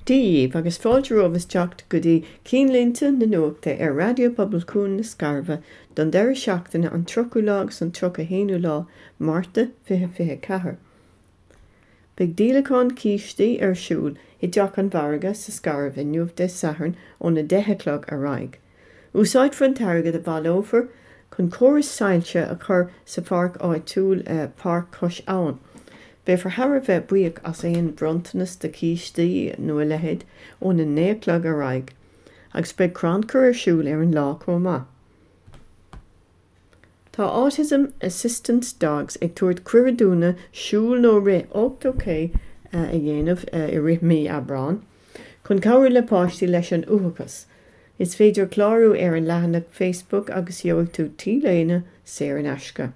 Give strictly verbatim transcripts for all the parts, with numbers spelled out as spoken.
Dia dhaoibh agus fáilte romhaibh isteach go dtí Cinnlínte na Nuachta ar Raidió Pobail Cuan na Scairbhe don deireadh seachtaine an tríochú lá agus an tríocha haonú lá Márta fiche fiche ceathair. Beidh díolachán cístí ar siúl i dTeach an Mhargaidh sa Scairbh inniu Dé Sathairn óna deich a chlog ar aghaidh. Úsáidfear an t-airgead a bhaileofar chun córas soilse a chur sa pháirc áitiúil Páirc Cois Abhann. Beifear thar a bheith buíoch as aon bhronntanas de chístí nó a leithéid óna naoi a chlog ar aghaidh, agus beidh crannchur ar siúl ar an lá chomh maith. Tá Autism Assistance Dogs ag tabhairt cuireadh dúinne siúl nó rith ochtó K a dhéanamh i rith mí Aibreáin, chun cabhrú le páistí leis an uathachas. Is féidir clárú ar an leathanach Facebook agus gheobhaidh tú T-léine saor in aisce.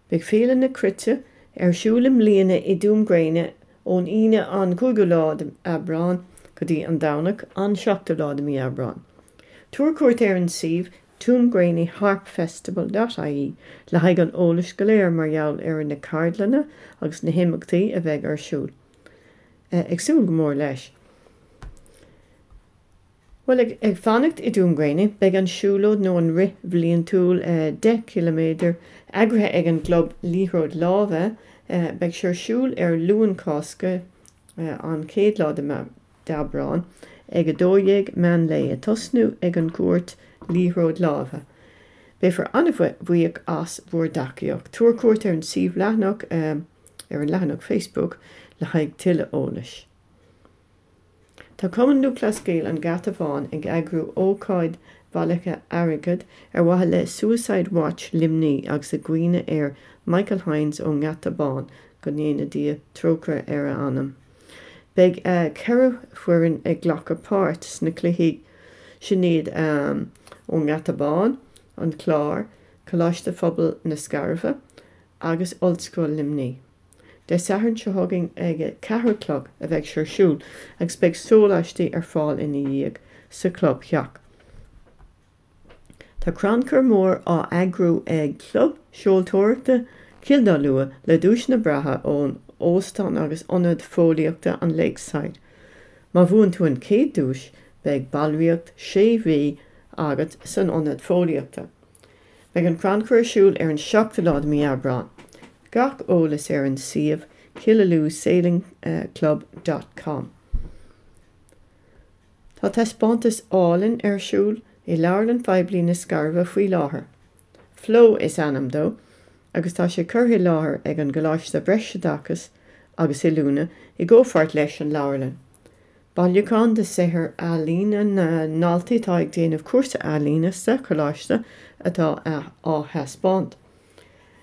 Beidh Féile na Cruite ar siúl i mbliana i dTuaim Gréine ón Aoine an cúigiú lá d'Aibreán go dtí an Domhnach an seachtú lá de mí Aibreán. Tabhair cuairt ar an suíomh tuaimgréine harpfestival.ie le haghaidh an eolais go léir mar gheall ar na ceardlanna agus na himeachtaí a bheidh ar siúl. Ag súil go mór leis. Well ag, ag fanacht i dTuaim Gréine, beidh an siúlóid nó an rith bhliantúil deich ciliméadar eagraithe ag an gclub liathróid láimhe, beidh sé ar siúl ar Luan Cásca an chéad lá d'Aibreán ag a dó dhéag meán lae ag tosnú ag an gcúirt liathróid láimhe. Beifear an-bhuíoch as bhur dtacaíocht. Tabhair cuairt ar an suíomh leathanach ar an leathanach Facebook le haghaidh tuilleadh eolais. Tá Cumann Lúthchleas Gael an Gheata Bháin ag eagrú ócáid bhailithe airgid ar mhaithe le Suicide Watch Luimní agus i gcuimhne ar Michael Hines ón nGeata Bán go ndéana Dia trócaire ar a anam. Beidh ceithre foireann ag glacadh páirt sna cluichí sin iad ón nGeata Bán, an Clár, Coláiste Phobail na Scairbhe agus Ollscoil Luimní. Dé Sathairn seo chugainn ag a ceathair a chlog a bheidh sé ar siúl agus beidh sóláistí ar fáil ina dhiaidh sa chlubtheach. Tá crannchur mór á eagrú ag Club Seoltóireachta Chill Dá Lua le duaiseanna breátha ón óstán agus ionad fóillíochta an Lakeside. Má bhuann tú an chéad duais beidh ballraíocht sé mhí agat san ionad fóillíochta. Beidh an crannchur ar siúl ar an seachtú lá de mí Aibreán. Gach eolas ar an suíomh Killaloe Sailing Club dot com. Tá taispeántas álainn ar siúl i Leabharlann Phoiblí na Scairbhe faoi láthair. Flow is ainm dó, agus tá sé curtha i láthair ag an gColáiste Breisoideachais agus Oiliúna i gcomhpháirt leis an leabharlann. Bailiúchán de shaothar ealaíne na ndaltaí atá ag déanamh cúrsa ealaíne sa choláiste atá á thaispeáint,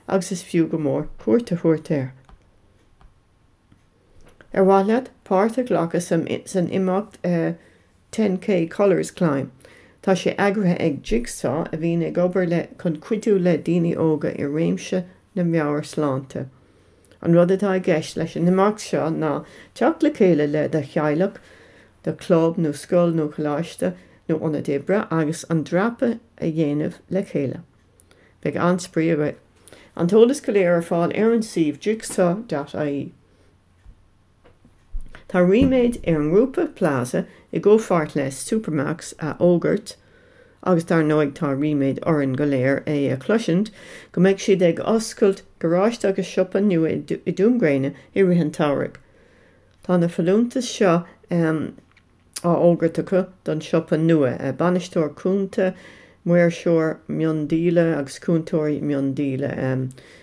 agus is fiú go mór cuairt a thabhairt air. Ar mhaith leat páirt a ghlacadh san imeacht ten K Colours Climb. Tá sé eagraithe ag Jigsaw a bhíonn ag obair le chun cuidiú le daoine óga i réimse na meabhairshláinte. An rud atá i gceist leis an imeacht seo ná teacht le chéile le do theaghlach, do chlub nó scoil nó coláiste nó ionad oibre agus an dreapadh a dhéanamh le chéile. Beidh an-spraoi agaibh. An t-eolas go léir ar fáil ar an suíomh jigsaw.ie. Tá ríméad ar an ngrúpa Plaza i gcomhpháirt le Supermax a fhógairt, agus dar ndóigh tá ríméad orainn go léir é a chloisint, go mbeidh siad ag oscailt garáiste agus siopa nua i dTuaim Gréine i rith an tsamhraidh. Tá na folúntais seo á fhógairt acu don siopa nua, bainisteoir cúnta, maoirseoir miondíola agus cúntóirí miondíola,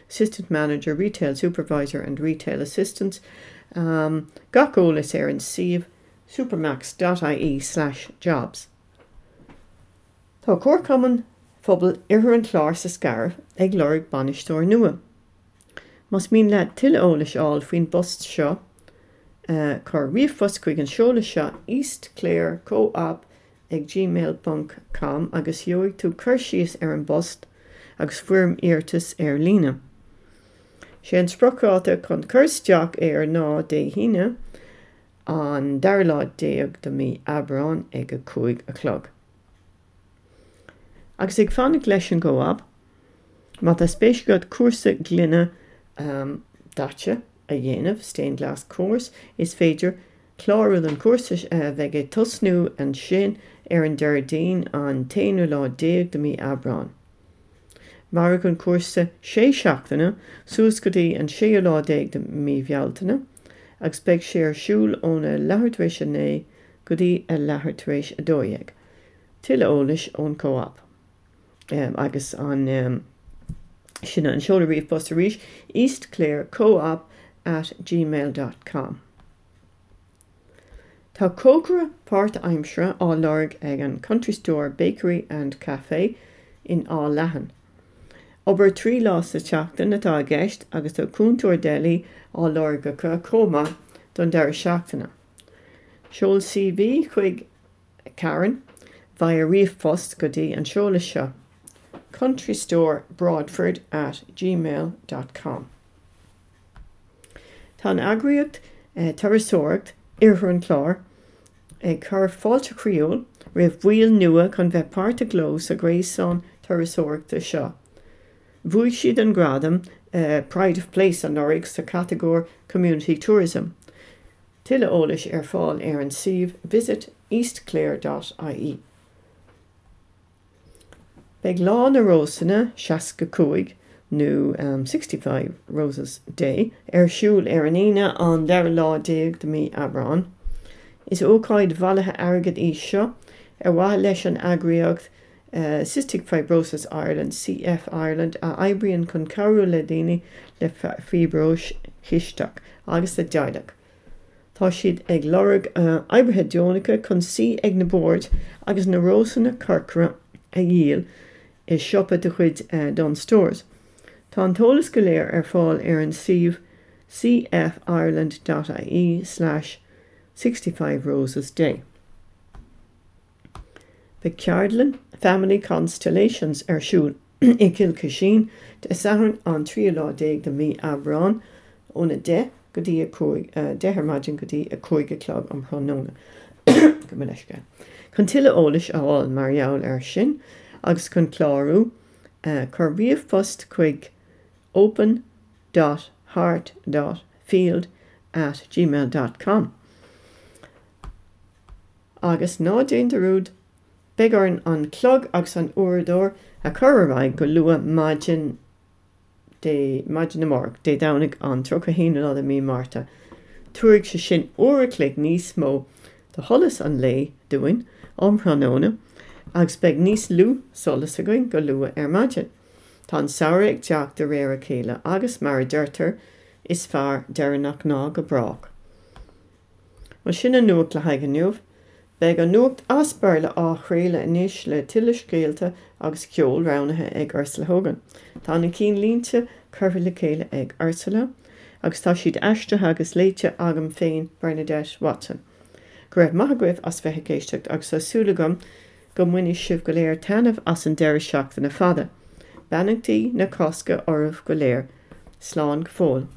assistant manager, retail supervisor and retail assistants. Um, gach eolas ar an suíomh supermax.ie slash jobs. Tá Comharchumann Phobal Oirthear an Chláir sa Scairbh ag lorg bainisteoir nua. Más mian leat tuilleadh eolais a fháil faoin bpost seo, uh, cuir ríomhphost chuig an seoladh seo eastclare co-op ag gmail ponc com agus gheobhaidh tú cur síos ar an bpost agus foirm iarratais ar líne. Sé an spriocdháta chun cur isteach air ná Dé hAoine an dara lá déag de mí Aibreán ag a cúig a chlog. Agus ag fanacht leis an gco-op, má tá spéis agat cúrsa gloine um, daite a dhéanamh, stained glass course, is féidir Clárú don chúrsa a bheidh ag tosnú ansin ar an Déardaoin an t-aonú lá déag de mí Aibreán. Mairfidh an cúrsa sé seachtaine suas go dtí an séú lá déag de mí Bhealtaine agus beidh sé ar siúl óna leathuair tar éis a naoi go dtí a leathuair tar éis a dó dhéag. Tuilleadh eolais ón Co-op. Um, agus an um, sin an seoladh ríomhphost arís eastclarecoop at gmail dot com. Tá cócaire páirtaimseartha á lorg ag an Country Store Bakery and Café in Áth Leathan. Obair trí lá sa tseachtain atá i gceist agus tá cúntóir deli á lorg acu chomh maith don deireadh seachtaine. Seol C V chuig Karen via ríomhphost go dtí an seoladh seo countrystorebroadford at gmail dot com. Tá an eagraíocht eh, turasóireacht Iarthar an Chláir ag cur fáilte chroíúil roimh bhaill nua chun bheith páirteach leo sa ghréasán turasóireachta seo. Bhuaigh siad an gradam uh, Pride of Place anuraidh sa catagóir Community Tourism. Tuilleadh eolais ar fáil ar an suíomh visit eastclare dot I E. Beidh Lá na Rósanna seasca cúig nó um, sixty-five Roses Day ar siúl ar an Aoine an dara lá déag de mí Aibreán. Is ócáid bhailithe airgid í seo ar mhaithe leis an eagraíocht uh, Cystic Fibrosis Ireland C F Ireland a oibríonn chun cabhrú le daoine le fiobróis chisteach agus a dteaghlach. Tá siad ag lorg uh, oibrithe deonacha chun suí ag na boird agus na rósanna corcra a dhíol i siopa de chuid uh, Dunnes Stores. Tá an t-eolas go léir ar fáil ar an suíomh C F Ireland dot I E slash sixty-five Roses Day. Beidh ceardlann Family Constellations ar siúl i gCill Cuisín Dé Sathairn an tríú lá déag de mí Aibreán óna deich go dtí a cúig deich ar maidin go dtí a cúig a chlog um thráthnóna. Go leisce. Chun tuilleadh eolais a fháil mar gheall air sin agus chun clárú uh, cuir ríomhphost chuig open dot heart dot field at gmail dot com. Agus ná déan dearúd, beidh orainn an clog agus an uaireadóir a chur ar aghaidh go luath maidin Dé maidin amárach Dé Domhnaigh an tríocha haon lá de mí Márta. Tabharfaidh sé sin uair a chloig níos mó de sholas an lae dúinn um thráthnóna agus beidh níos lú solas againn go luath ar maidin. Tá an samhradh ag teacht de réir a chéile agus mar a deirtear is fearr deireanach ná go brách. Mar sin an nuacht le haghaidh inniu, beidh an nuacht as Béarla á chraoladh anois le tuilleadh scéalta agus ceol roghnaithe ag Ursula Hogan. Tá na cinnlínte curtha le chéile ag Ursula, agus tá siad aistrithe agus léite agam féin, Bernadette Watson. Go raibh maith agaibh as bheith ag éisteacht agus tá súil agam go mbainfidh sibh go léir taitneamh as an deireadh seachtaine fada. Beannachtaí na Cásca oraibh go léir, slán go fóill.